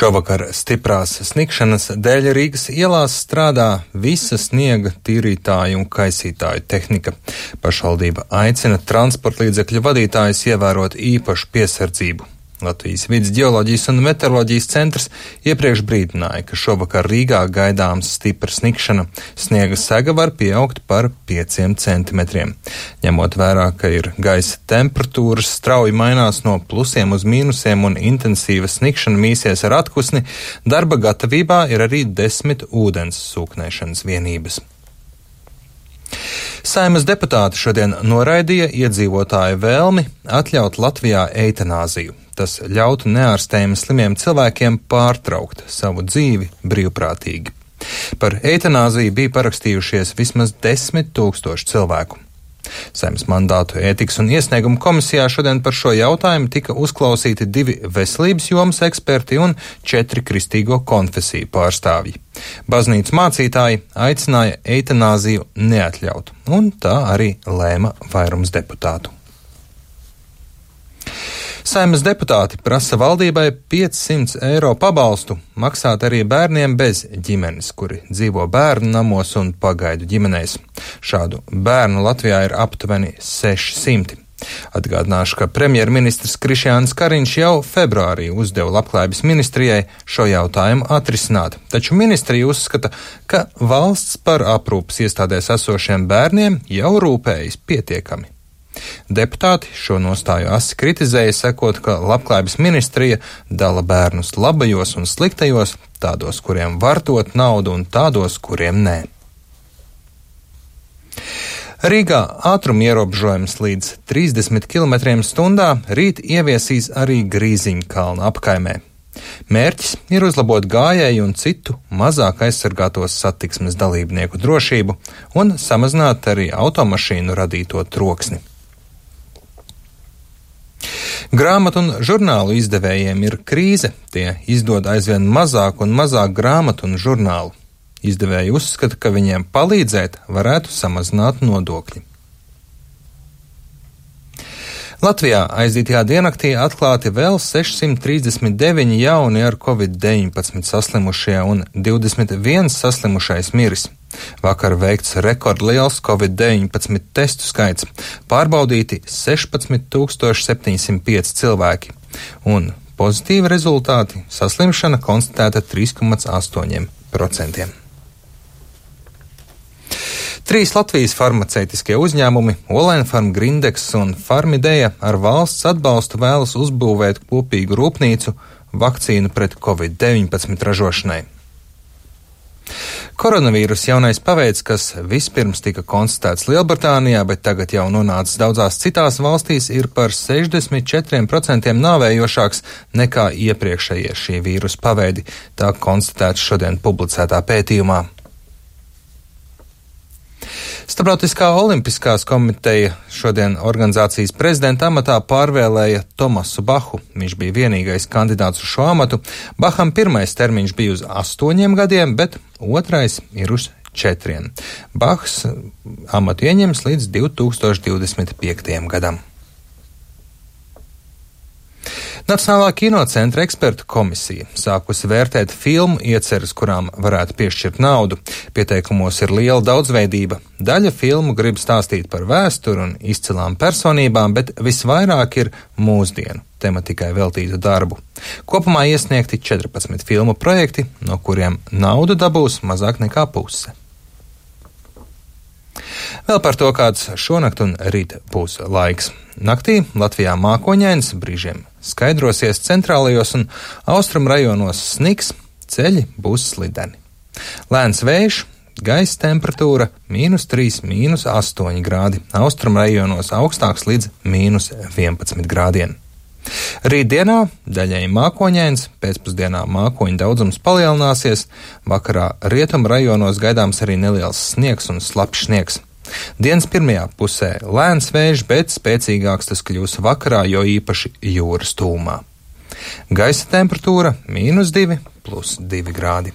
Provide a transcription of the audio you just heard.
Šovakar stiprās sniegšanas dēļ Rīgas ielās strādā visa sniega tīrītāju un kaisītāju tehnika. Pašvaldība aicina transportlīdzekļu vadītājus ievērot īpašu piesardzību. Latvijas Vides ģeoloģijas un meteoroloģijas centrs iepriekš brīdināja, ka šovakar Rīgā gaidāms stipra sniegšana. Sniega sega var pieaugt par 5 centimetriem. Ņemot vērā, ka ir gaisa temperatūras strauji mainās no plusiem uz mīnusiem un intensīva sniegšana mīsies ar atkusni, darba gatavībā ir arī 10 ūdens sūknēšanas vienības. Saeimas deputāti šodien noraidīja iedzīvotāju vēlmi atļaut Latvijā eitanāziju. Tas ļautu neārstējami slimiem cilvēkiem pārtraukt savu dzīvi brīvprātīgi. Par eitanāziju bija parakstījušies vismaz 10 000 cilvēku. Saeimas mandātu ētikas un iesniegumu komisijā šodien par šo jautājumu tika uzklausīti 2 veselības jomas eksperti un 4 kristīgo konfesiju pārstāvji. Baznīcas mācītāji aicināja eitanāziju neatļaut, un tā arī lēma vairums deputātu. Saeimas deputāti prasa valdībai 500 eiro pabalstu maksāt arī bērniem bez ģimenes, kuri dzīvo bērnu namos un pagaidu ģimenēs. Šādu bērnu Latvijā ir aptuveni 600. Atgādināšu, ka premjerministrs Krišjāns Kariņš jau februārī uzdeva Labklājības ministrijai šo jautājumu atrisināt, taču ministrija uzskata, ka valsts par aprūpes iestādēs esošiem bērniem jau rūpējas pietiekami. Deputāti šo nostāju asi kritizēja, sakot, ka Labklājības ministrija dala bērnus labajos un sliktajos, tādos, kuriem var dot naudu un tādos, kuriem nē. Rīgā ātruma ierobežojums līdz 30 km/h rīt ieviesīs arī Grīziņkalna apkaimē. Mērķis ir uzlabot gājēju un citu mazāk aizsargātos satiksmes dalībnieku drošību un samazināt arī automašīnu radīto troksni. Grāmatu un žurnālu izdevējiem ir krīze, tie izdod aizvien mazāk un mazāk grāmatu un žurnālu. Izdevēji uzskata, ka viņiem palīdzēt varētu samazināt nodokļi. Latvijā aizdītajā diennaktī atklāti vēl 639 jauni ar Covid-19 saslimušie un 21 saslimušais miris. Vakar veikts rekordliels Covid-19 testu skaits, pārbaudīti 16 705 cilvēki, un pozitīvi rezultāti saslimšana konstatēta 3,8%. 3 Latvijas farmaceitiskie uzņēmumi, Olenfarm, Grindex un Farmideja ar valsts atbalstu vēlas uzbūvēt kopīgu rūpnīcu vakcīnu pret Covid-19 ražošanai. Koronavīrus jaunais paveids, kas vispirms tika konstatēts Lielbritānijā, bet tagad jau nonācis daudzās citās valstīs, ir par 64% nāvējošāks nekā iepriekšējie šī vīrusa paveidi, tā konstatēts šodien publicētā pētījumā. Starptautiskā olimpiskās komiteja šodien organizācijas prezidenta amatā pārvēlēja Tomasu Bahu. Viņš bija vienīgais kandidāts uz šo amatu. Baham pirmais termiņš bija uz 8 gadiem, bet otrais ir uz 4. Bahs amatu ieņems līdz 2025. gadam. Nacionālā kinocentra ekspertu komisija sākusi vērtēt filmu ieceres, kurām varētu piešķirt naudu. Pieteikumos ir liela daudzveidība. Daļa filmu grib stāstīt par vēsturi un izcilām personībām, bet visvairāk ir mūsdienu tematikai veltītu darbu. Kopumā iesniegti 14 filmu projekti, no kuriem naudu dabūs mazāk nekā puse. Vēl par to, kāds šonakt un rīt būs laiks. Naktī Latvijā mākoņains, brīžiem skaidrosies, centrālajos un austrumu rajonos sniks, ceļi būs slideni. Lēns vējš, gaisa temperatūra -3, -8 grādi, austrumu rajonos augstāks līdz -11 grādiem. Rītdienā daļēji mākoņains, pēcpusdienā mākoņu daudzums palielināsies, vakarā rietumu rajonos gaidāms arī neliels sniegs un slapjš sniegs. Dienas pirmajā pusē lēns vējš, bet spēcīgāks tas kļūs vakarā, jo īpaši jūras tūmā. Gaisa temperatūra -2 + 2 grādi.